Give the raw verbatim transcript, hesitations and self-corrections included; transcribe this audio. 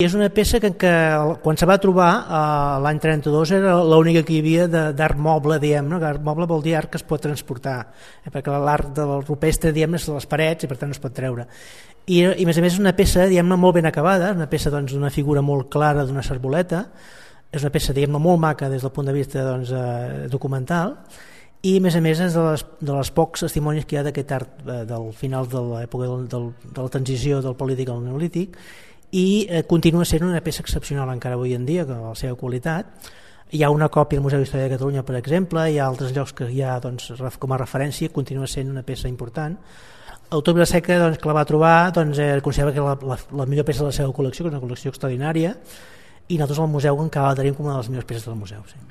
és una peça que, que quan se va trobar eh, l'any trenta-dos era l'única que hi havia d'art moble, diguem, no? Art moble vol dir art que es pot transportar, eh? perquè l'art del rupestre, diguem, és de les parets i per tant no es pot treure. I, i a més a més és una peça, diguem-ne, molt ben acabada, una peça doncs, d'una figura molt clara d'una serboleta, és una peça, diguem-ne, molt maca des del punt de vista doncs, eh, documental, i a més a més és de les, de les pocs testimonis que hi ha d'aquest art eh, del final de l'època del, del, de la transició del polític al neolític, i eh, continua sent una peça excepcional encara avui en dia, amb la seva qualitat. Hi ha una còpia al Museu d'Història de Catalunya, per exemple, hi ha altres llocs que hi ha doncs, com a referència, continua sent una peça important. L'autor Vilaseca, doncs, que la va trobar, doncs, eh, considera que la, la, la millor peça de la seva col·lecció, que és una col·lecció extraordinària, i nosaltres al museu encara la tenim com una de les millors peces del museu. Sí.